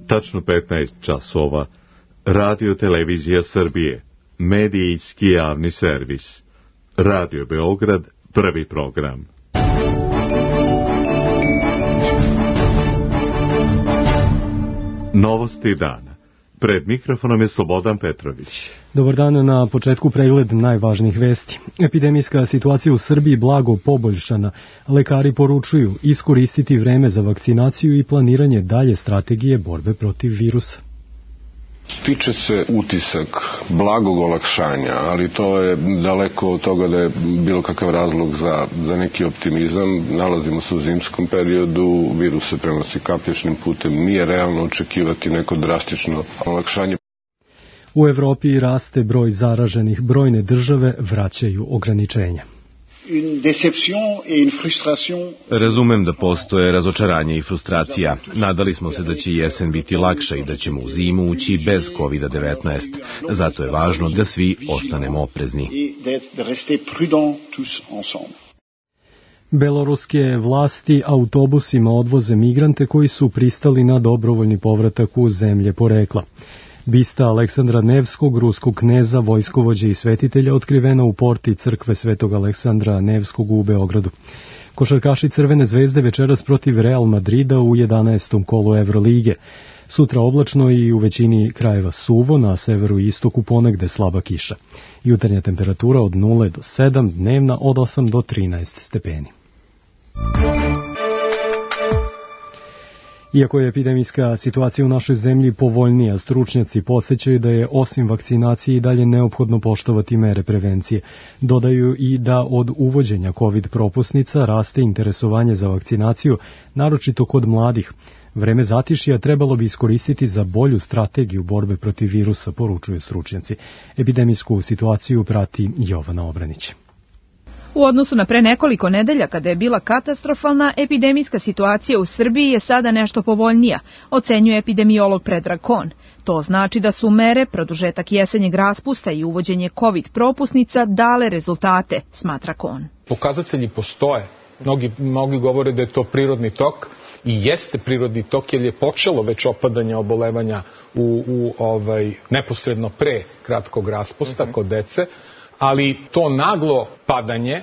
Tačno 15 časova. Radio Televizija Srbije. Medijski javni servis. Radio Beograd, prvi program. Novosti dana. Pred mikrofonom je Slobodan Petrović. Dobar dan, na početku pregled najvažnijih vesti. Epidemijska situacija u Srbiji blago poboljšana. Lekari poručuju iskoristiti vreme za vakcinaciju i planiranje dalje strategije borbe protiv virusa. Stiče se utisak blagog olakšanja, ali to je daleko od toga da je bilo kakav razlog za neki optimizam. Nalazimo se u zimskom periodu, virus se prenosi kapljičnim putem, nije realno očekivati neko drastično olakšanje. U Evropi raste broj zaraženih, brojne države vraćaju ograničenja. Razumem da postoje razočaranje i frustracija. Nadali smo se da će jesen biti lakša i da ćemo u zimu ući bez COVID-19. Zato je važno da svi ostanemo oprezni. Beloruske vlasti autobusima odvoze migrante koji su pristali na dobrovoljni povratak u zemlje porekla. Bista Aleksandra Nevskog, ruskog kneza, vojskovođe i svetitelja, otkrivena u porti crkve Svetog Aleksandra Nevskog u Beogradu. Košarkaši Crvene zvezde večeras protiv Real Madrida u 11. kolu Evrolige. Sutra oblačno i u većini krajeva suvo, na severu i istoku ponegde slaba kiša. Jutarnja temperatura od 0 do 7, dnevna od 8 do 13 stepeni. Iako je epidemijska situacija u našoj zemlji povoljnija, stručnjaci podsećaju da je osim vakcinacije i dalje neophodno poštovati mere prevencije. Dodaju i da od uvođenja COVID propusnica raste interesovanje za vakcinaciju, naročito kod mladih. Vreme zatišja trebalo bi iskoristiti za bolju strategiju borbe protiv virusa, poručuju stručnjaci. Epidemijsku situaciju prati Jovana Obranić. U odnosu na pre nekoliko nedelja, kada je bila katastrofalna, epidemijska situacija u Srbiji je sada nešto povoljnija, ocenjuje epidemiolog Predrag Kon. To znači da su mere, produžetak jesenjeg raspusta i uvođenje COVID propusnica dale rezultate, smatra Kon. Pokazatelji postoje. Mnogi govore da je to prirodni tok i jeste prirodni tok jer je počelo već opadanje obolevanja neposredno pre kratkog raspusta kod dece. Ali to naglo padanje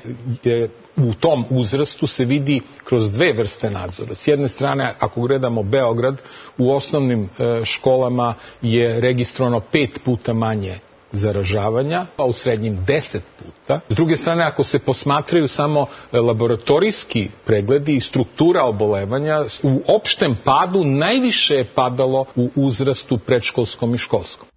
u tom uzrastu se vidi kroz dve vrste nadzora. S jedne strane, ako gledamo Beograd, u osnovnim školama je registrovano 5 puta manje zaražavanja, a u srednjim 10 puta. S druge strane, ako se posmatraju samo laboratorijski pregledi i struktura obolevanja, u opštem padu najviše je padalo u uzrastu predškolskom i školskom.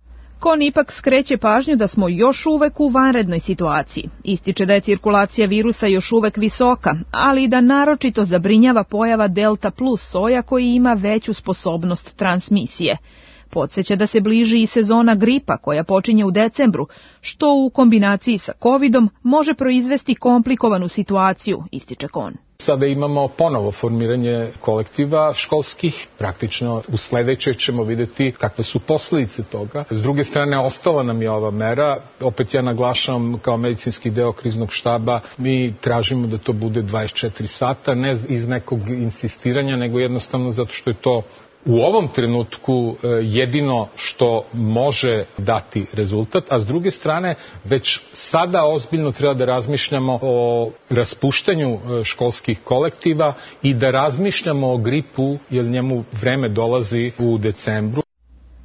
Kon ipak skreće pažnju da smo još uvek u vanrednoj situaciji. Ističe da je cirkulacija virusa još uvek visoka, ali i da naročito zabrinjava pojava Delta plus soja koji ima veću sposobnost transmisije. Podsjeća da se bliži i sezona gripa koja počinje u decembru, što u kombinaciji sa covidom može proizvesti komplikovanu situaciju, ističe Kon. Sada imamo ponovo formiranje kolektiva školskih. Praktično u sledećoj ćemo vidjeti kakve su posljedice toga. S druge strane, ostala nam je ova mera. Opet ja naglašavam kao medicinski deo kriznog štaba, mi tražimo da to bude 24 sata, ne iz nekog insistiranja, nego jednostavno zato što je to u ovom trenutku jedino što može dati rezultat, a s druge strane već sada ozbiljno treba da razmišljamo o raspuštanju školskih kolektiva i da razmišljamo o gripu, jer njemu vreme dolazi u decembru.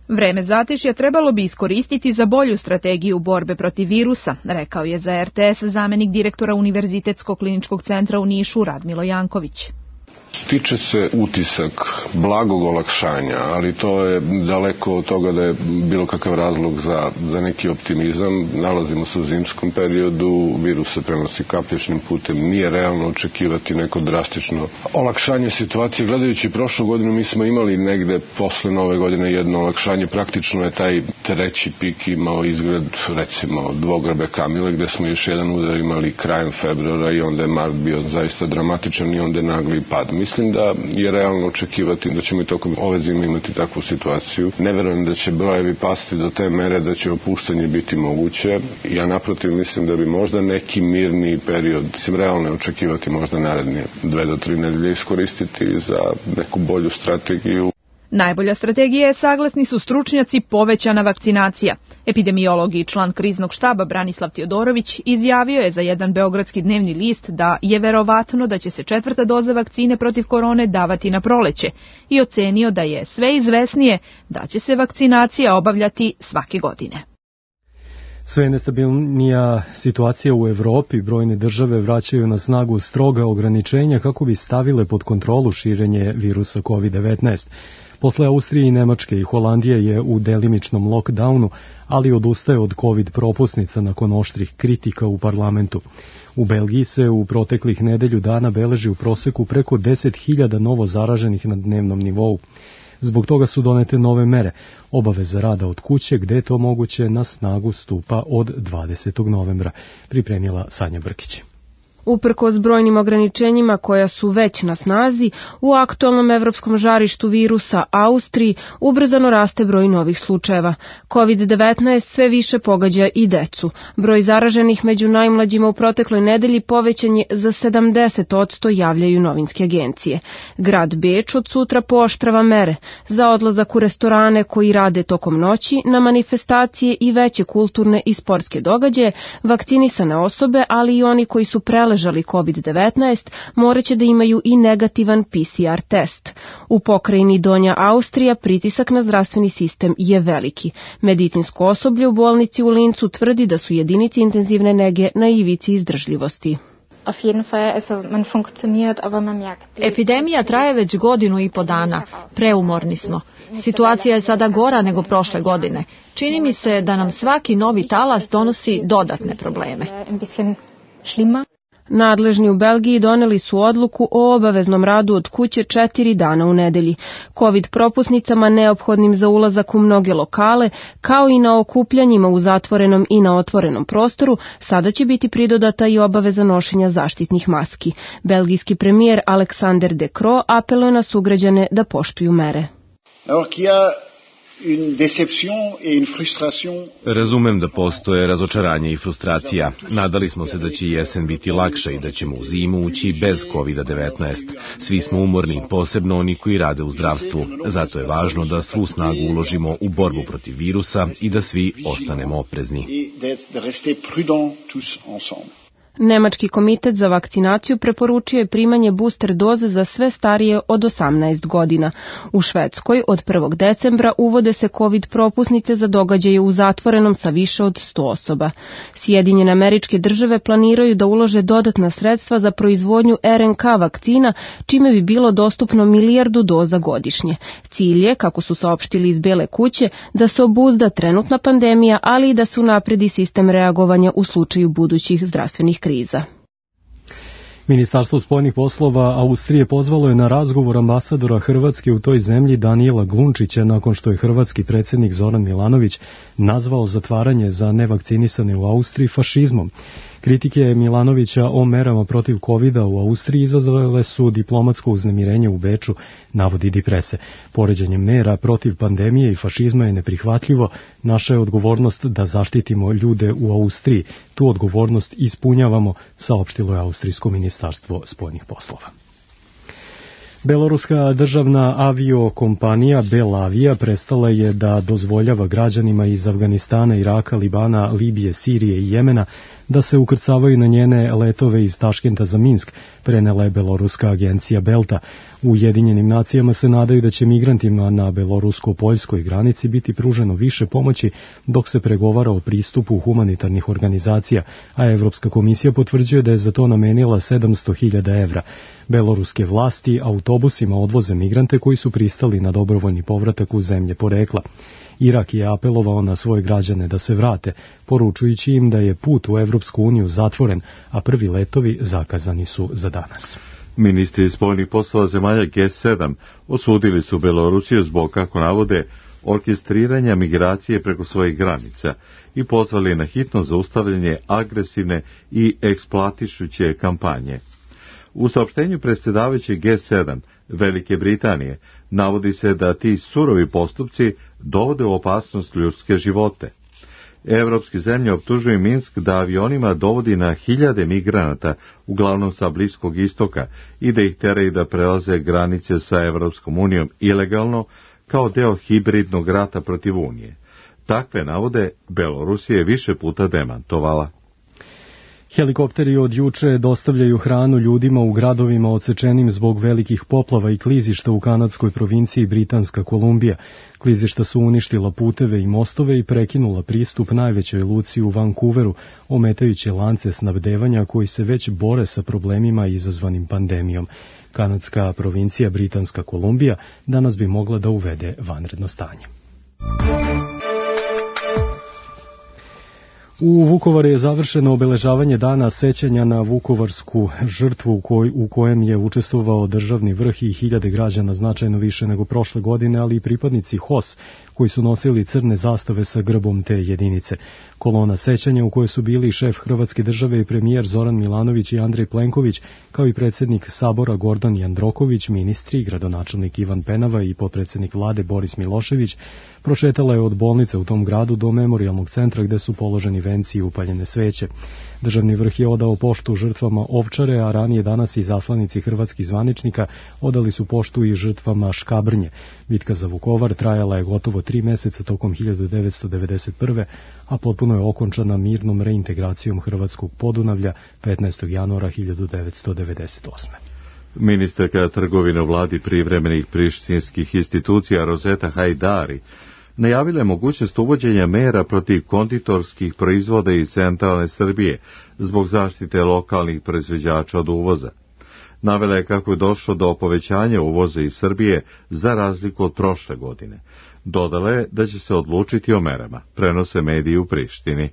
Vreme zatišja trebalo bi iskoristiti za bolju strategiju borbe protiv virusa, rekao je za RTS zamenik direktora Univerzitetskog kliničkog centra u Nišu Radmilo Janković. Stiče se utisak blagog olakšanja, ali to je daleko od toga da je bilo kakav razlog za neki optimizam. Nalazimo se u zimskom periodu, virus se prenosi kapljičnim putem, nije realno očekivati neko drastično olakšanje situacije. Gledajući prošlu godinu, mi smo imali negde posle nove godine jedno olakšanje. Praktično je taj treći pik imao izgled, recimo, Dvograbe Kamile, gde smo još jedan udar imali krajem februara i onda je mart bio zaista dramatičan i onda je nagli pad. Mislim da je realno očekivati da ćemo i tokom ove zime imati takvu situaciju. Ne verujem da će brojevi pasti do te mere da će opuštanje biti moguće. Ja naprotiv mislim da bi možda neki mirni period, realno je očekivati možda naredne 2 do 3 nedelje iskoristiti za neku bolju strategiju. Najbolja strategija je, saglasni su stručnjaci, povećana vakcinacija. Epidemiolog i član kriznog štaba Branislav Tjodorović izjavio je za jedan beogradski dnevni list da je verovatno da će se 4. doza vakcine protiv korone davati na proleće i ocenio da je sve izvesnije da će se vakcinacija obavljati svake godine. Sve nestabilnija situacija u Evropi, brojne države vraćaju na snagu stroga ograničenja kako bi stavile pod kontrolu širenje virusa COVID-19. Posle Austrije i Nemačke i Holandije je u delimičnom lockdownu, ali odustaje od COVID propusnica nakon oštrih kritika u parlamentu. U Belgiji se u proteklih nedelju dana beleži u proseku preko 10.000 novo zaraženih na dnevnom nivou. Zbog toga su donete nove mere. Obaveza rada od kuće, gde je to moguće, na snagu stupa od 20. novembra, pripremila Sanja Brkić. Uprkos brojnim ograničenjima koja su već na snazi, u aktualnom evropskom žarištu virusa Austriji ubrzano raste broj novih slučajeva. COVID-19 sve više pogađa i decu. Broj zaraženih među najmlađima u protekloj nedelji povećan je za 70%, javljaju novinske agencije. Grad Beč od sutra pooštrava mere za odlazak u restorane koji rade tokom noći, na manifestacije i veće kulturne i sportske događaje. Vakcinisane osobe, ali i oni koji su preležali COVID-19, moraće da imaju i negativan PCR test. U pokrajini Donja Austrija pritisak na zdravstveni sistem je veliki. Medicinsko osoblje u bolnici u Lincu tvrdi da su jedinice intenzivne nege na ivici izdržljivosti. Epidemija traje već 1,5 godinu dana. Preumorni smo. Situacija je sada gora nego prošle godine. Čini mi se da nam svaki novi talas donosi dodatne probleme. Nadležni u Belgiji doneli su odluku o obaveznom radu od kuće 4 dana u nedelji. COVID propusnicama neophodnim za ulazak u mnoge lokale, kao i na okupljanjima u zatvorenom i na otvorenom prostoru, sada će biti pridodata i obaveza nošenja zaštitnih maski. Belgijski premijer Alexander De Croo apeluje na sugrađane da poštuju mere. Razumem da postoje razočaranje i frustracija. Nadali smo se da će jesen biti lakša i da ćemo u zimu ući bez COVID-19. Svi smo umorni, posebno oni koji rade u zdravstvu. Zato je važno da svu snagu uložimo u borbu protiv virusa i da svi ostanemo oprezni. Nemački komitet za vakcinaciju preporučio je primanje booster doze za sve starije od 18 godina. U Švedskoj od 1. decembra uvode se COVID propusnice za događaje u zatvorenom sa više od 100 osoba. Sjedinjene Američke Države planiraju da ulože dodatna sredstva za proizvodnju RNK vakcina, čime bi bilo dostupno 1 milijardu doza godišnje. Cilj je, kako su saopštili iz Bele kuće, da se obuzda trenutna pandemija, ali i da se unapredi sistem reagovanja u slučaju budućih zdravstvenih kriza. Ministarstvo spoljnih poslova Austrije pozvalo je na razgovor ambasadora Hrvatske u toj zemlji Danijela Glunčića nakon što je hrvatski predsjednik Zoran Milanović nazvao zatvaranje za nevakcinisane u Austriji fašizmom. Kritike Milanovića o merama protiv covida u Austriji izazvale su diplomatsko uznemirenje u Beču, navodi Die Presse. Poređenje mera protiv pandemije i fašizma je neprihvatljivo. Naša je odgovornost da zaštitimo ljude u Austriji. Tu odgovornost ispunjavamo, saopštilo je Austrijsko ministarstvo spoljnih poslova. Beloruska državna aviokompanija Belavia prestala je da dozvoljava građanima iz Afganistana, Iraka, Libana, Libije, Sirije i Jemena da se ukrcavaju na njene letove iz Taškenta za Minsk, prenela je beloruska agencija Belta. U Ujedinjenim nacijama se nadaju da će migrantima na belorusko-poljskoj granici biti pruženo više pomoći dok se pregovara o pristupu humanitarnih organizacija, a Evropska komisija potvrđuje da je za to namenila 700.000 evra. Beloruske vlasti autobusima odvoze migrante koji su pristali na dobrovoljni povratak u zemlje porekla. Irak je apelovao na svoje građane da se vrate, poručujući im da je put u Evropsku uniju zatvoren, a prvi letovi zakazani su za danas. Ministri spoljnih poslova zemalja G7 osudili su Belorusiju zbog, kako navode, orkestriranja migracije preko svojih granica i pozvali na hitno zaustavljanje agresivne i eksploatišuće kampanje. U saopštenju predsjedavajućeg G7 Velike Britanije navodi se da ti surovi postupci dovode u opasnost ljudske živote. Evropske zemlje optužuju Minsk da avionima dovodi na hiljade migranata, uglavnom sa Bliskog istoka, i da ih teraju da prelaze granice sa Evropskom unijom ilegalno, kao deo hibridnog rata protiv Unije. Takve navode Belorusija je više puta demantovala. Helikopteri od juče dostavljaju hranu ljudima u gradovima odsečenim zbog velikih poplava i klizišta u kanadskoj provinciji Britanska Kolumbija. Klizišta su uništila puteve i mostove i prekinula pristup najvećoj luci u Vancouveru, ometajući lance snabdevanja koji se već bore sa problemima izazvanim pandemijom. Kanadska provincija Britanska Kolumbija danas bi mogla da uvede vanredno stanje. U Vukovaru je završeno obeležavanje dana sećanja na vukovarsku žrtvu u kojem je učestvovao državni vrh i hiljade građana, značajno više nego prošle godine, ali i pripadnici HOS koji su nosili crne zastave sa grbom te jedinice. Kolona sećanja u kojoj su bili šef Hrvatske države i premijer Zoran Milanović i Andrej Plenković, kao i predsjednik Sabora Gordan Jandroković, ministri, gradonačelnik Ivan Penava i potpredsjednik vlade Boris Milošević, prošetala je od bolnice u tom gradu do memorijalnog centra gde su položeni venci i upaljene sveće. Državni vrh je odao poštu žrtvama Ovčare, a ranije danas i zaslanici hrvatskih zvaničnika odali su poštu i žrtvama Škabrnje. Bitka za Vukovar trajala je gotovo 3 meseca tokom 1991. a potpuno je okončana mirnom reintegracijom Hrvatskog Podunavlja 15. januara 1998. Ministarka trgovine u vladi privremenih prištinskih institucija Rozeta Hajdari najavila je mogućnost uvođenja mera protiv konditorskih proizvoda iz centralne Srbije zbog zaštite lokalnih proizvođača od uvoza. Navela je kako je došlo do povećanja uvoza iz Srbije za razliku od prošle godine. Dodala je da će se odlučiti o merama, prenose mediji u Prištini.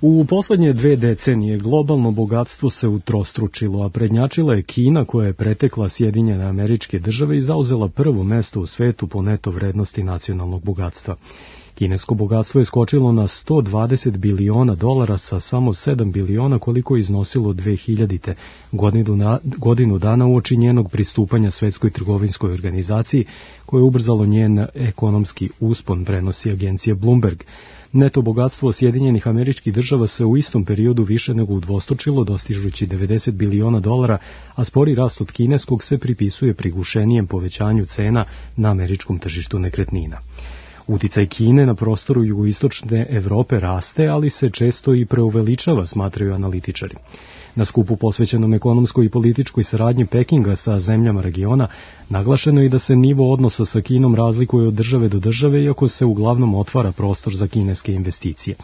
U poslednje 2 decenije globalno bogatstvo se utrostručilo, a prednjačila je Kina koja je pretekla Sjedinjene Američke Države i zauzela prvo mesto u svetu po neto vrednosti nacionalnog bogatstva. Kinesko bogatstvo je skočilo na $120 biliona sa samo 7 biliona koliko je iznosilo 2000. godinu dana uoči njenog pristupanja Svetskoj trgovinskoj organizaciji koje je ubrzalo njen ekonomski uspon, prenosi agencija Bloomberg. Neto bogatstvo Sjedinjenih Američkih Država se u istom periodu više nego udvostručilo, dostižući $90 biliona, a spori rast od kineskog se pripisuje prigušenijem povećanju cena na američkom tržištu nekretnina. Uticaj Kine na prostoru jugoistočne Evrope raste, ali se često i preuveličava, smatraju analitičari. Na skupu posvećenom ekonomskoj i političkoj saradnji Pekinga sa zemljama regiona naglašeno je da se nivo odnosa sa Kinom razlikuje od države do države, iako se uglavnom otvara prostor za kineske investicije.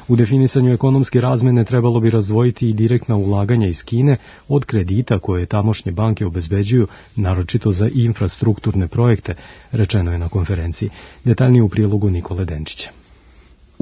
U definisanju ekonomske razmene trebalo bi razdvojiti i direktna ulaganja iz Kine od kredita koje tamošnje banke obezbeđuju, naročito za infrastrukturne projekte, rečeno je na konferenciji. Detaljnije u prilogu Nikole Denčića.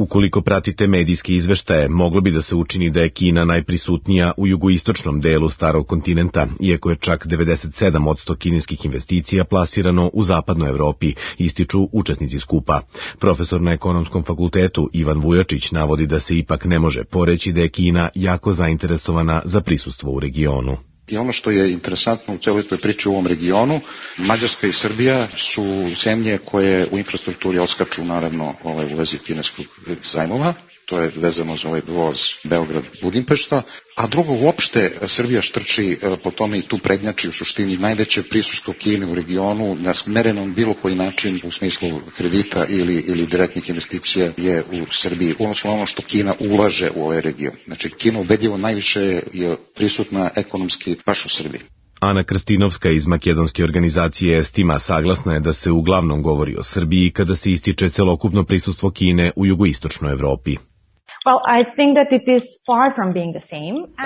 Ukoliko pratite medijske izveštaje, moglo bi da se učini da je Kina najprisutnija u jugoistočnom delu starog kontinenta, iako je čak 97% kineskih investicija plasirano u zapadnoj Evropi, ističu učesnici skupa. Profesor na Ekonomskom fakultetu Ivan Vujačić navodi da se ipak ne može poreći da je Kina jako zainteresovana za prisustvo u regionu. I ono što je interesantno u celoj toj priči u ovom regionu, Mađarska i Srbija su zemlje koje u infrastrukturi odskaču naravno u vezi kineskog zajmova, to je vezano za ovaj voz Beograd-Budimpešta, a drugo uopšte Srbija štrči po tome i tu prednjači u suštini najveće prisustvo Kine u regionu, nasmereno na bilo koji način u smislu kredita ili direktnih investicija je u Srbiji, odnosno ono što Kina ulaže u ovaj region. Znači Kina ubedljivo najviše je prisutna ekonomski baš u Srbiji. Ana Krstinovska iz makedonske organizacije Estima saglasna je da se uglavnom govori o Srbiji kada se ističe celokupno prisustvo Kine u jugoistočnoj Evropi.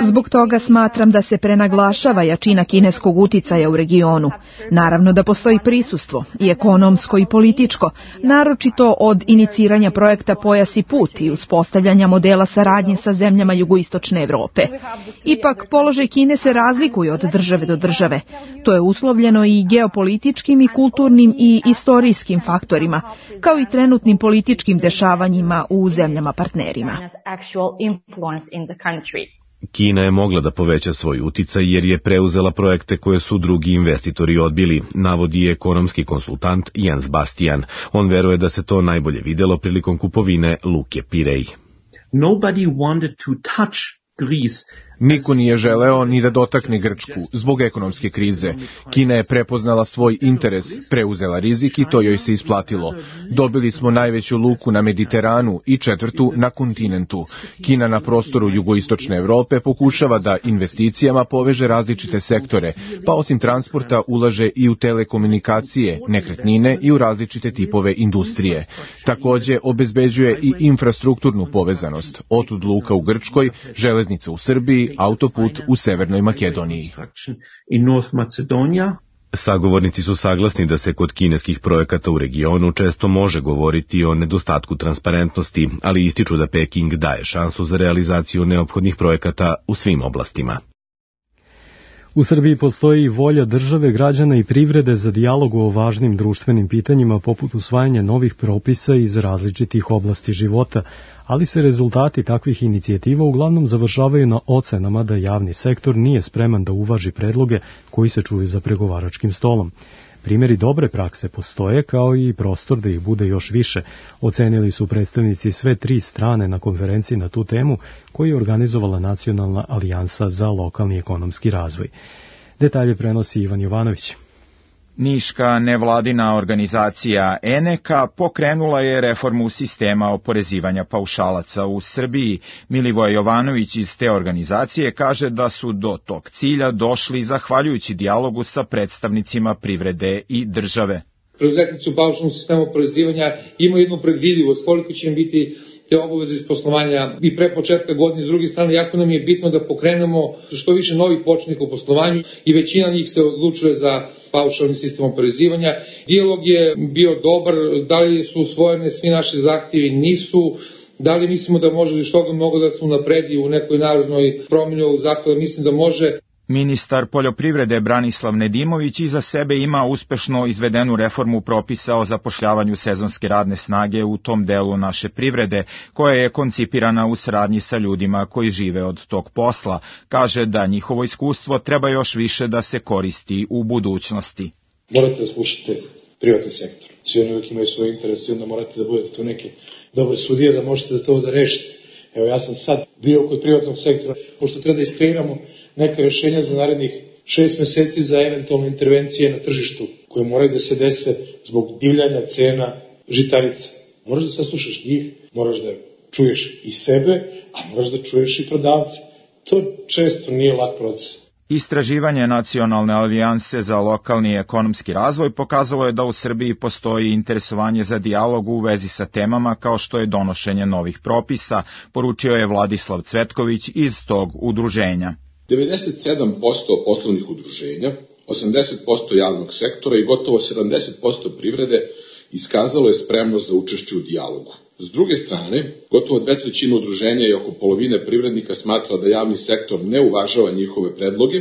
Zbog toga smatram da se prenaglašava jačina kineskog uticaja u regionu. Naravno da postoji prisustvo, i ekonomsko i političko, naročito od iniciranja projekta Pojas i put i uspostavljanja modela saradnje sa zemljama jugoistočne Evrope. Ipak, položaj Kine se razlikuje od države do države. To je uslovljeno i geopolitičkim i kulturnim i istorijskim faktorima, kao i trenutnim političkim dešavanjima u zemljama partnerima. Kina je mogla da poveća svoj uticaj jer je preuzela projekte koje su drugi investitori odbili, navodi ekonomski konsultant Jens Bastian. On veruje da se to najbolje videlo prilikom kupovine Luke Pirej. Nobody wanted to touch Greece Niko nije želeo ni da dotakne Grčku zbog ekonomske krize. Kina je prepoznala svoj interes, preuzela rizik i to joj se isplatilo. Dobili smo najveću luku na Mediteranu i četvrtu na kontinentu. Kina na prostoru jugoistočne Evrope pokušava da investicijama poveže različite sektore, pa osim transporta ulaže i u telekomunikacije, nekretnine i u različite tipove industrije. Takođe obezbeđuje i infrastrukturnu povezanost, otud luka u Grčkoj, železnica u Srbiji, autoput u Severnoj Makedoniji. Sagovornici su saglasni da se kod kineskih projekata u regionu često može govoriti o nedostatku transparentnosti, ali ističu da Peking daje šansu za realizaciju neophodnih projekata u svim oblastima. U Srbiji postoji volja države, građana i privrede za dijalog o važnim društvenim pitanjima poput usvajanja novih propisa iz različitih oblasti života, ali se rezultati takvih inicijativa uglavnom završavaju na ocenama da javni sektor nije spreman da uvaži predloge koji se čuju za pregovaračkim stolom. Primjeri dobre prakse postoje, kao i prostor da ih bude još više, ocenili su predstavnici sve tri strane na konferenciji na tu temu koju je organizovala Nacionalna alijansa za lokalni ekonomski razvoj. Detalje prenosi Ivan Jovanović. Niška nevladina organizacija ENEKA pokrenula je reformu sistema oporezivanja paušalaca u Srbiji. Milivoje Jovanović iz te organizacije kaže da su do tog cilja došli zahvaljujući dijalogu sa predstavnicima privrede i države. Preduzetnici u paušalnom sistemu oporezivanja imaju jednu predvidivost koliko će im biti te obaveze iz poslovanja i pre početka godine. S druge strane, jako nam je bitno da pokrenemo što više novih početnika u poslovanju i većina njih se odlučuje za paušalni sistem oporezivanja. Dijalog je bio dobar, da li su usvojene svi naši zahtjevi, nisu. Da li mislimo da može još toga mnogo da se unapredi u nekoj narodnoj promjeni ovog zakona? Mislim da može. Ministar poljoprivrede Branislav Nedimović iza sebe ima uspešno izvedenu reformu propisa o zapošljavanju sezonske radne snage u tom delu naše privrede, koja je koncipirana u saradnji sa ljudima koji žive od tog posla. Kaže da njihovo iskustvo treba još više da se koristi u budućnosti. Morate da slušate privatni sektor. Svi oni uvijek imaju svoje interese i onda morate da budete tu neke dobre sudije da možete da to da rešite. Evo, ja sam sad bio kod privatnog sektora, pošto treba da iskreiramo neka rešenja za narednih 6 meseci za eventualne intervencije na tržištu, koje moraju da se dese zbog divljanja cena žitarica. Moraš da saslušaš njih, moraš da čuješ i sebe, a moraš da čuješ i prodavce. To često nije lak proces. Istraživanje Nacionalne alijanse za lokalni ekonomski razvoj pokazalo je da u Srbiji postoji interesovanje za dijalog u vezi sa temama kao što je donošenje novih propisa, poručio je Vladislav Cvetković iz tog udruženja. 97% poslovnih udruženja, 80% javnog sektora i gotovo 70% privrede iskazalo je spremnost za učešće u dijalogu. S druge strane, gotovo 2/3 udruženja i oko polovine privrednika smatra da javni sektor ne uvažava njihove predloge,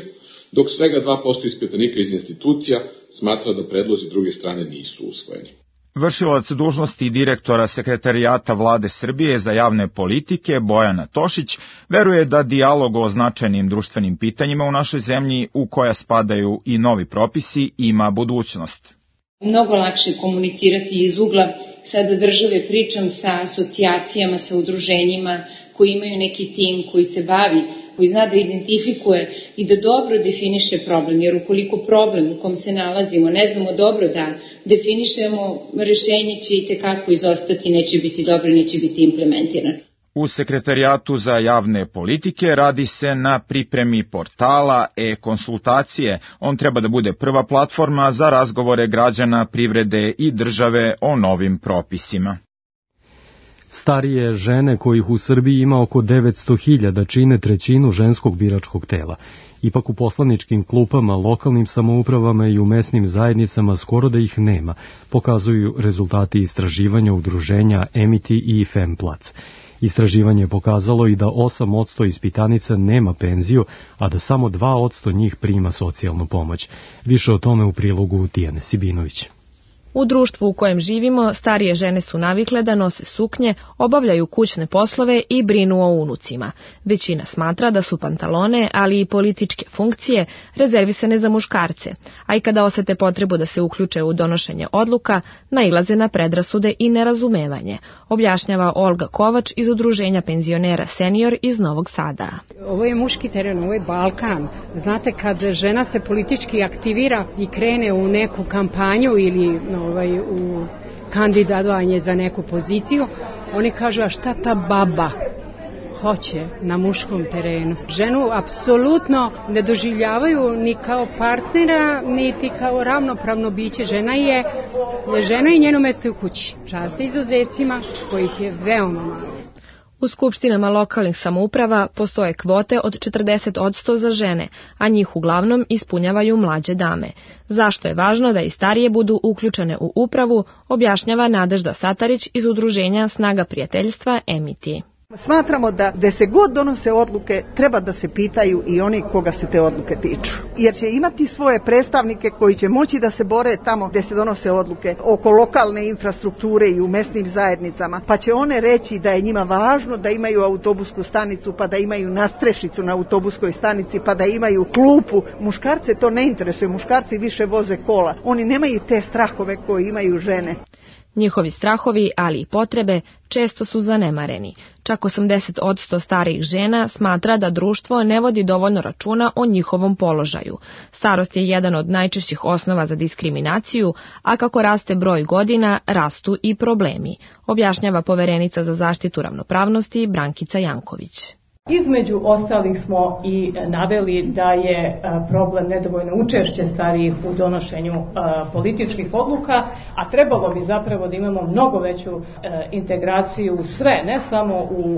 dok svega 2% ispitanika iz institucija smatra da predlozi druge strane nisu usvojeni. Vršilac dužnosti direktora Sekretarijata Vlade Srbije za javne politike Bojana Tošić veruje da dijalog o značajnim društvenim pitanjima u našoj zemlji, u koja spadaju i novi propisi, ima budućnost. Mnogo lakše komunicirati iz ugla sada države, pričam sa asocijacijama, sa udruženjima koji imaju neki tim koji se bavi, koji zna da identifikuje i da dobro definiše problem, jer ukoliko problem u kom se nalazimo ne znamo dobro da definišemo, rešenje će i tekako izostati, neće biti dobro, neće biti implementirano. U Sekretarijatu za javne politike radi se na pripremi portala e-konsultacije. On treba da bude prva platforma za razgovore građana, privrede i države o novim propisima. Starije žene, kojih u Srbiji ima oko 900.000, čine trećinu ženskog biračkog tela. Ipak u poslaničkim klupama, lokalnim samoupravama i u mesnim zajednicama skoro da ih nema, pokazuju rezultati istraživanja udruženja Emiti i Femplac. Istraživanje je pokazalo i da 8% ispitanica nema penziju, a da samo 2% njih prima socijalnu pomoć. Više o tome u prilogu Tijane Sibinović. U društvu u kojem živimo, starije žene su navikle da nose suknje, obavljaju kućne poslove i brinu o unucima. Većina smatra da su pantalone, ali i političke funkcije, rezervisane za muškarce, a i kada osete potrebu da se uključe u donošenje odluka, nailaze na predrasude i nerazumevanje, objašnjava Olga Kovač iz Udruženja penzionera Senior iz Novog Sada. Ovo je muški teren, ovo je Balkan. Znate, kad žena se politički aktivira i krene u neku kampanju ili u kandidatovanje za neku poziciju, oni kažu, a šta ta baba hoće na muškom terenu? Ženu apsolutno ne doživljavaju ni kao partnera, niti kao ravnopravno biće. Žena i njeno mesto je u kući. Čast izuzecima, kojih je veoma malo. U skupštinama lokalnih samouprava postoje kvote od 40% za žene, a njih uglavnom ispunjavaju mlađe dame. Zašto je važno da i starije budu uključene u upravu, objašnjava Nadežda Satarić iz Udruženja Snaga prijateljstva Emiti. Smatramo da gde se god donose odluke treba da se pitaju i oni koga se te odluke tiču. Jer će imati svoje predstavnike koji će moći da se bore tamo gde se donose odluke oko lokalne infrastrukture i u mesnim zajednicama. Pa će one reći da je njima važno da imaju autobusku stanicu, pa da imaju nadstrešicu na autobuskoj stanici, pa da imaju klupu. Muškarce to ne interesuje, muškarci više voze kola. Oni nemaju te strahove koje imaju žene. Njihovi strahovi, ali i potrebe, često su zanemareni. Čak 80% starijih žena smatra da društvo ne vodi dovoljno računa o njihovom položaju. Starost je jedan od najčešćih osnova za diskriminaciju, a kako raste broj godina, rastu i problemi, objašnjava poverenica za zaštitu ravnopravnosti Brankica Janković. Između ostalih smo i naveli da je problem nedovoljno učešće starijih u donošenju političkih odluka, a trebalo bi zapravo da imamo mnogo veću integraciju u sve, ne samo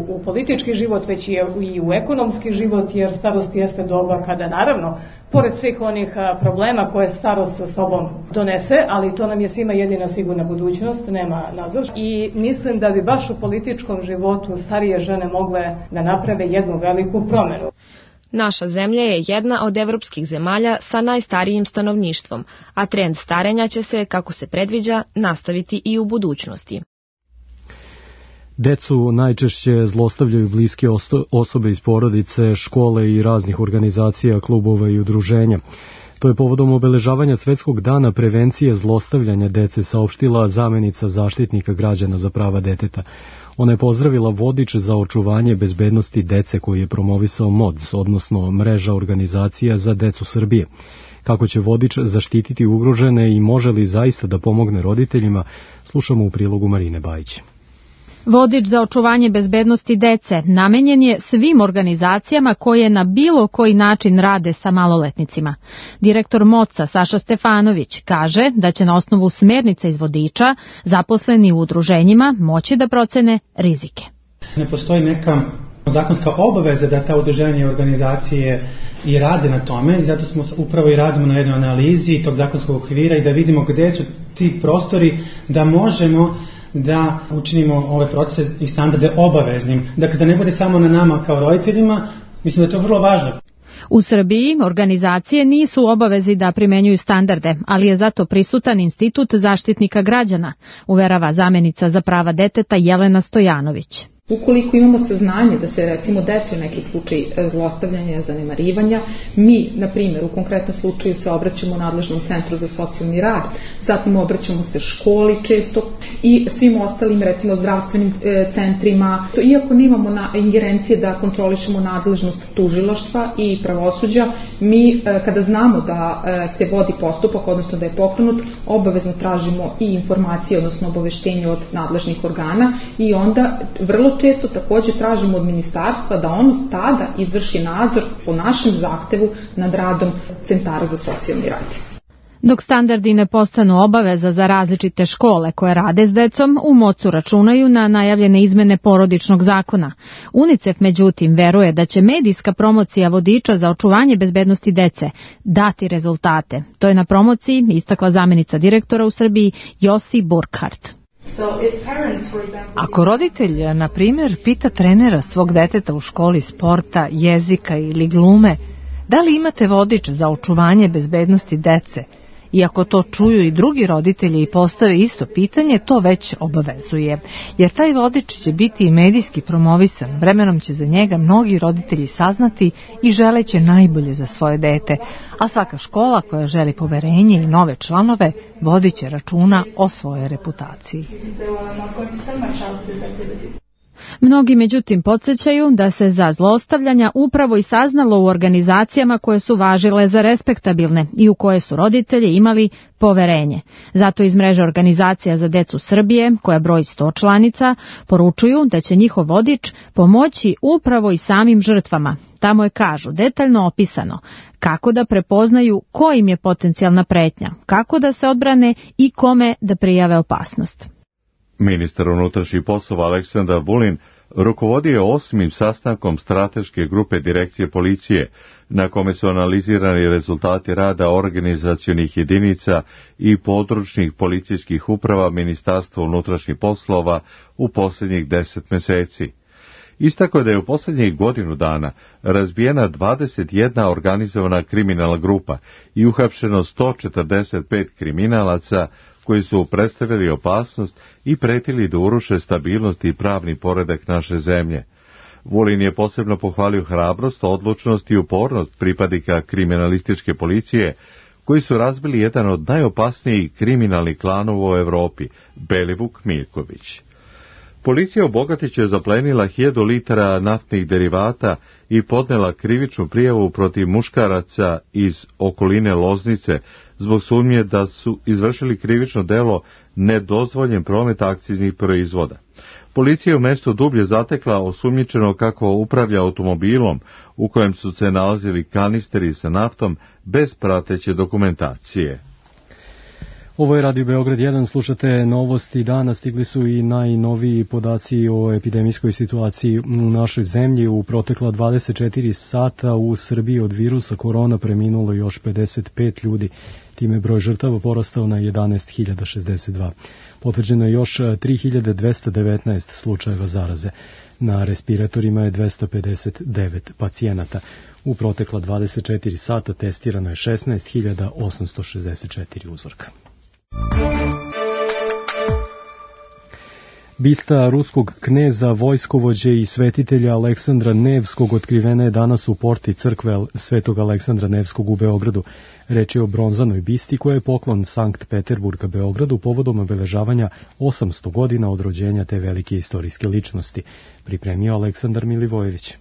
u politički život, već i u ekonomski život, jer starost jeste doba kada naravno, pored svih onih problema koje starost sa sobom donese, ali to nam je svima jedina sigurna budućnost, nema nazad. I mislim da bi baš u političkom životu starije žene mogle da naprave jednu veliku promenu. Naša zemlja je jedna od evropskih zemalja sa najstarijim stanovništvom, a trend starenja će se, kako se predviđa, nastaviti i u budućnosti. Decu najčešće zlostavljaju bliske osobe iz porodice, škole i raznih organizacija, klubova i udruženja. To je povodom obeležavanja Svetskog dana prevencije zlostavljanja dece saopštila zamenica zaštitnika građana za prava deteta. Ona je pozdravila vodič za očuvanje bezbednosti dece koji je promovisao MODS, odnosno Mreža organizacija za decu Srbije. Kako će vodič zaštititi ugrožene i može li zaista da pomogne roditeljima, slušamo u prilogu Marine Bajić. Vodič za očuvanje bezbednosti dece namenjen je svim organizacijama koje na bilo koji način rade sa maloletnicima. Direktor MODS-a Saša Stefanović kaže da će na osnovu smernica iz vodiča zaposleni u udruženjima moći da procene rizike. Ne postoji neka zakonska obaveza da ta udruženja i organizacije i rade na tome i zato smo upravo i radimo na jednoj analizi tog zakonskog okvira i da vidimo gde su ti prostori da možemo da učinimo ove procese i standarde obaveznim. Dakle, da ne bude samo na nama kao roditeljima, mislim da je to vrlo važno. U Srbiji organizacije nisu u obavezi da primenjuju standarde, ali je zato prisutan Institut zaštitnika građana, uverava zamenica za prava deteta Jelena Stojanović. Ukoliko imamo saznanje da se recimo desio neki slučaj zlostavljanja, zanemarivanja, mi, na primjer, u konkretnom slučaju se obraćamo nadležnom centru za socijalni rad, zatim obraćamo se školi često i svim ostalim, recimo, zdravstvenim centrima. Iako nemamo ingerencije da kontrolišemo nadležnost tužilaštva i pravosuđa, mi, kada znamo da se vodi postupak, odnosno da je pokrenut, obavezno tražimo i informacije, odnosno obaveštenje od nadležnih organa i onda vrlo često također tražimo od ministarstva da ono tada izvrši nadzor po našem zahtevu nad radom centara za socijalni rad. Dok standardi ne postanu obaveza za različite škole koje rade s decom, u MODS-u računaju na najavljene izmene porodičnog zakona. UNICEF, međutim, veruje da će medijska promocija vodiča za očuvanje bezbednosti dece dati rezultate. To je na promociji istakla zamenica direktora u Srbiji Josi Burkhardt. Ako roditelj, na primjer, pita trenera svog deteta u školi sporta, jezika ili glume, da li imate vodič za očuvanje bezbednosti dece, I ako to čuju i drugi roditelji i postave isto pitanje, to već obavezuje. Jer taj vodič će biti i medijski promovisan, vremenom će za njega mnogi roditelji saznati i želeće najbolje za svoje dete, a svaka škola koja želi poverenje i nove članove vodit će računa o svojoj reputaciji. Mnogi međutim podsjećaju da se za zlostavljanja upravo i saznalo u organizacijama koje su važile za respektabilne i u koje su roditelji imali poverenje. Zato iz mreže organizacija za decu Srbije, koja broji 100 članica, poručuju da će njihov vodič pomoći upravo i samim žrtvama. Tamo je, kažu, detaljno opisano kako da prepoznaju ko im je potencijalna pretnja, kako da se odbrane i kome da prijave opasnost. Ministar unutrašnjih poslova Aleksandar Vulin rukovodio je 8. sastankom strateške grupe direkcije policije, na kome su analizirani rezultati rada organizacionih jedinica i područnih policijskih uprava Ministarstva unutrašnjih poslova u posljednjih 10 meseci. Istakao je da je u posljednjih godinu dana razbijena 21 organizovana kriminalna grupa i uhapšeno 145 kriminalaca koji su predstavili opasnost i pretili da uruše stabilnost i pravni poredak naše zemlje. Vulin je posebno pohvalio hrabrost, odlučnost i upornost pripadnika kriminalističke policije, koji su razbili jedan od najopasnijih kriminalnih klanova u Evropi, Belivuk Miljković. Policija u Bogatiću je zaplenila 1000 litara naftnih derivata i podnela krivičnu prijavu protiv muškaraca iz okoline Loznice zbog sumnje da su izvršili krivično delo nedozvoljen promet akciznih proizvoda. Policija je u mestu dublje zatekla osumnjičeno kako upravlja automobilom u kojem su se nalazili kanisteri sa naftom bez prateće dokumentacije. Ovo je Radio Beograd 1, slušate novosti dana, stigli su i najnoviji podaci o epidemijskoj situaciji u našoj zemlji. U protekla 24 sata u Srbiji od virusa korona preminulo još 55 ljudi, time broj žrtava porastao na 11.062. Potvrđeno je još 3.219 slučajeva zaraze. Na respiratorima je 259 pacijenata. U protekla 24 sata testirano je 16.864 uzorka. Bista ruskog kneza, vojskovođe i svetitelja Aleksandra Nevskog otkrivena je danas u porti crkve Svetog Aleksandra Nevskog u Beogradu. Reč je o bronzanoj bisti koja je poklon Sankt Peterburga Beogradu povodom obeležavanja 800 godina od rođenja te velike istorijske ličnosti. Pripremio Aleksandar Milivojević.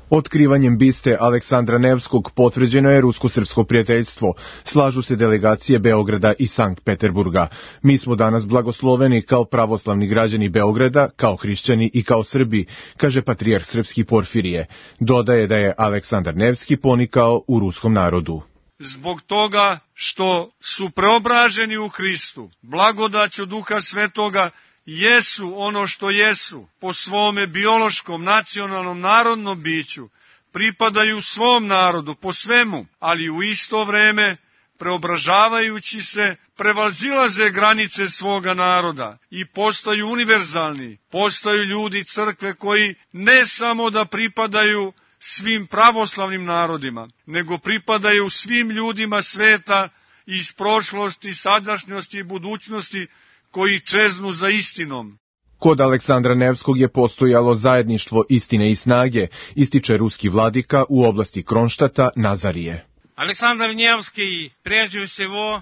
Otkrivanjem biste Aleksandra Nevskog potvrđeno je rusko-srpsko prijateljstvo. Slažu se delegacije Beograda i Sankt Peterburga. Mi smo danas blagosloveni kao pravoslavni građani Beograda, kao hrišćani i kao Srbi, kaže patrijarh srpski Porfirije. Dodaje da je Aleksandar Nevski ponikao u ruskom narodu. Zbog toga što su preobraženi u Hristu, blagodaću Duha Svetoga, jesu ono što jesu, po svome biološkom, nacionalnom, narodnom biću, pripadaju svom narodu po svemu, ali u isto vreme, preobražavajući se, prevazilaze granice svoga naroda i postaju univerzalni, postaju ljudi crkve koji ne samo da pripadaju svim pravoslavnim narodima, nego pripadaju svim ljudima sveta iz prošlosti, sadašnjosti i budućnosti, koji čeznu za istinom. Kod Aleksandra Nevskog je postojalo zajedništvo istine i snage, ističe ruski vladika u oblasti Kronštata Nazarije.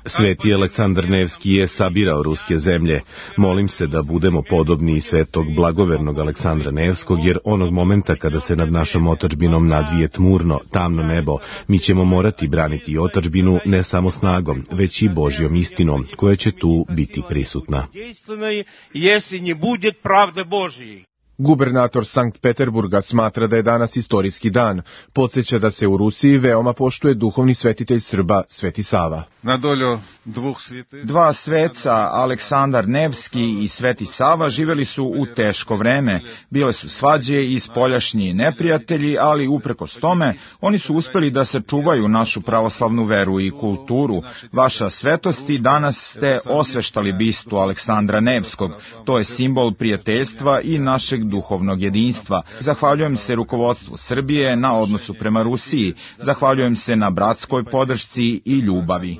Sveti Aleksandar Nevski je sabirao ruske zemlje. Molim se da budemo podobni svetog blagovernog Aleksandra Nevskog, jer onog momenta kada se nad našom otadžbinom nadvije tmurno, tamno nebo, mi ćemo morati braniti otadžbinu ne samo snagom, već i Božjom istinom, koja će tu biti prisutna. Gubernator Sankt Peterburga smatra da je danas istorijski dan. Podsjeća da se u Rusiji veoma poštuje duhovni svetitelj Srba Sveti Sava. Dva sveca, Aleksandar Nevski i Sveti Sava, živeli su u teško vreme. Bile su svađe i spoljašnji neprijatelji, ali uprkos tome, oni su uspeli da sačuvaju našu pravoslavnu veru i kulturu. Vaša svetosti, danas ste osveštali bistu Aleksandra Nevskog. To je simbol prijateljstva i našeg duhovnog jedinstva. Zahvaljujem se rukovodstvu Srbije na odnosu prema Rusiji. Zahvaljujem se na bratskoj podršci i ljubavi.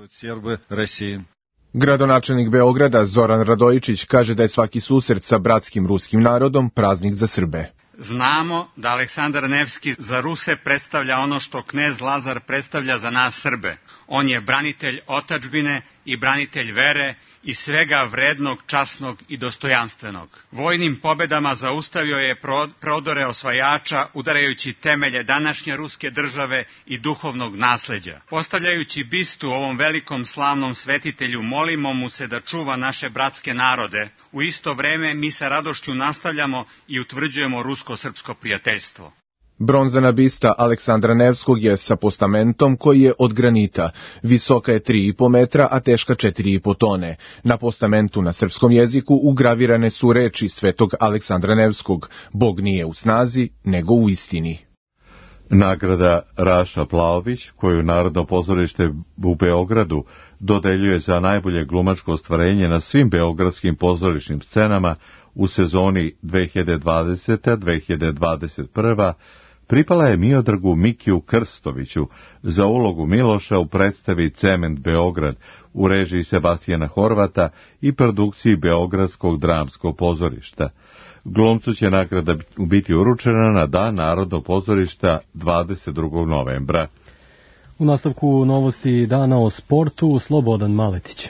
Gradonačelnik Beograda Zoran Radojičić kaže da je svaki susret sa bratskim ruskim narodom praznik za Srbe. Znamo da Aleksandar Nevski za Ruse predstavlja ono što knez Lazar predstavlja za nas Srbe. On je branitelj otadžbine i branitelj vere i svega vrednog, časnog i dostojanstvenog. Vojnim pobedama zaustavio je prodore osvajača, udarajući temelje današnje ruske države i duhovnog nasleđa. Postavljajući bistu ovom velikom slavnom svetitelju, molimo mu se da čuva naše bratske narode. U isto vreme mi sa radošću nastavljamo i utvrđujemo rusko-srpsko prijateljstvo. Bronzana bista Aleksandra Nevskog je sa postamentom koji je od granita. Visoka je 3,5 metra, a teška 4,5 tone. Na postamentu na srpskom jeziku ugravirane su reči svetog Aleksandra Nevskog: Bog nije u snazi, nego u istini. Nagrada Raša Plaović, koju Narodno pozorište u Beogradu dodeljuje za najbolje glumačko ostvarenje na svim beogradskim pozorišnim scenama u sezoni 2020-2021, pripala je Miodragu Mikiju Krstoviću za ulogu Miloša u predstavi Cement Beograd u režiji Sebastijana Horvata i produkciji Beogradskog dramskog pozorišta. Glumcu će nagrada biti uručena na Dan Narodnog pozorišta 22. novembra. U nastavku novosti dana o sportu, Slobodan Maletić.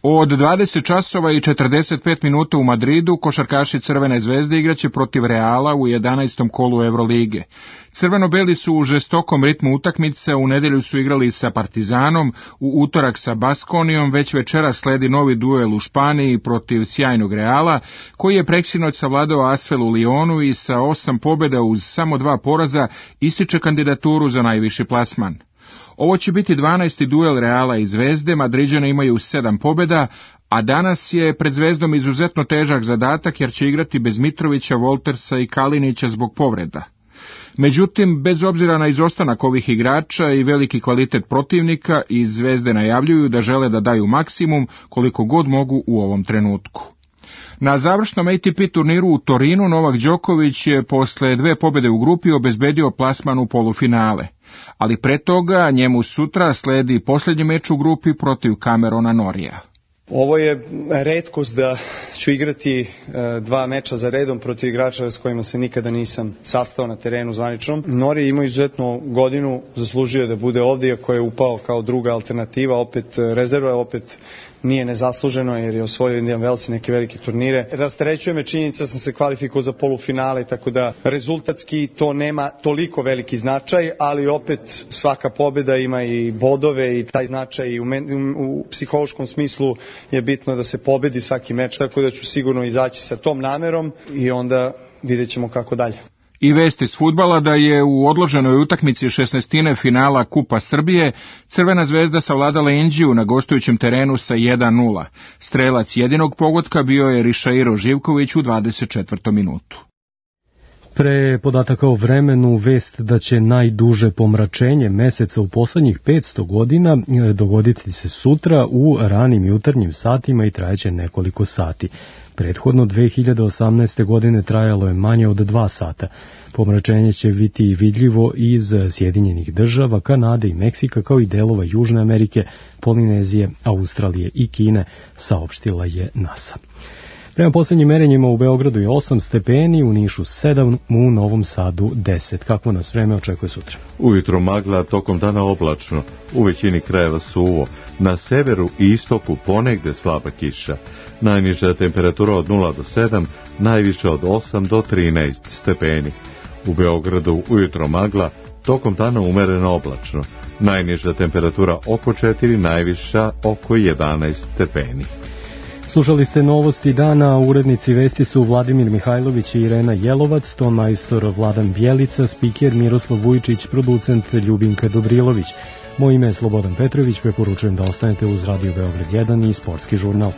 Od 20 časova i 45 minuta u Madridu košarkaši Crvene zvezde igraće protiv Reala u 11. kolu Evrolige. Crveno-beli su u žestokom ritmu utakmice, u nedelju su igrali sa Partizanom, u utorak sa Baskonijom, već večera sledi novi duel u Španiji protiv sjajnog Reala, koji je preksinoć savladao Asvel u Lionu i sa 8 pobjeda uz samo 2 poraza ističe kandidaturu za najviši plasman. Ovo će biti 12. duel Reala i Zvezde, Madriđani imaju 7 pobjeda, a danas je pred Zvezdom izuzetno težak zadatak jer će igrati bez Mitrovića, Voltersa i Kalinića zbog povreda. Međutim, bez obzira na izostanak ovih igrača i veliki kvalitet protivnika, iz Zvezde najavljuju da žele da daju maksimum koliko god mogu u ovom trenutku. Na završnom ATP turniru u Torinu Novak Đoković je posle 2 pobjede u grupi obezbedio plasman u polufinale, ali pre toga njemu sutra sledi posljednji meč u grupi protiv Camerona Norija. Ovo je retkost da ću igrati 2 meča za redom protiv igrača s kojima se nikada nisam sastao na terenu zvaničnom. Nori ima izuzetnu godinu, zaslužio da bude ovdje, iako je upao kao druga alternativa, opet rezerva, opet nije nezasluženo jer je osvojio Indian Wells neke velike turnire. Rasterećuje me činjenica, sam se kvalifikovao za polufinale, tako da rezultatski to nema toliko veliki značaj, ali opet svaka pobjeda ima i bodove i taj značaj u psihološkom smislu je bitno da se pobedi svaki meč, tako da ću sigurno izaći sa tom namerom i onda vidjet ćemo kako dalje. I vest iz fudbala da je u odloženoj utakmici 16. finala Kupa Srbije Crvena zvezda savladala Inđiju na gostujućem terenu sa 1:0. Strelac jedinog pogotka bio je Rišairo Živković u 24. minutu. Pre podataka o vremenu, vest da će najduže pomračenje meseca u poslednjih 500 godina dogoditi se sutra u ranim jutarnjim satima i trajeće nekoliko sati. Prethodno 2018. godine trajalo je manje od 2 sata. Pomračenje će biti vidljivo iz Sjedinjenih država, Kanade i Meksika, kao i delova Južne Amerike, Polinezije, Australije i Kine, saopštila je NASA. Prema poslednjim merenjima u Beogradu je 8 stepeni, u Nišu 7, u Novom Sadu 10. Kako nas vreme očekuje sutra? Ujutro magla, tokom dana oblačno, u većini krajeva suvo, na severu i istoku ponegde slaba kiša. Najniža temperatura od 0 do 7, najviša od 8 do 13 stepeni. U Beogradu ujutro magla, tokom dana umereno oblačno. Najniža temperatura oko 4, najviša oko 11 stepeni. Slušali ste novosti dana, urednici vesti su Vladimir Mihajlović i Irena Jelovac, ton majstor Vladan Bjelica, spiker Miroslav Vujčić, producent Ljubinka Dobrilović. Moje ime je Slobodan Petrović, preporučujem da ostanete uz Radio Beograd 1 i Sportski žurnal.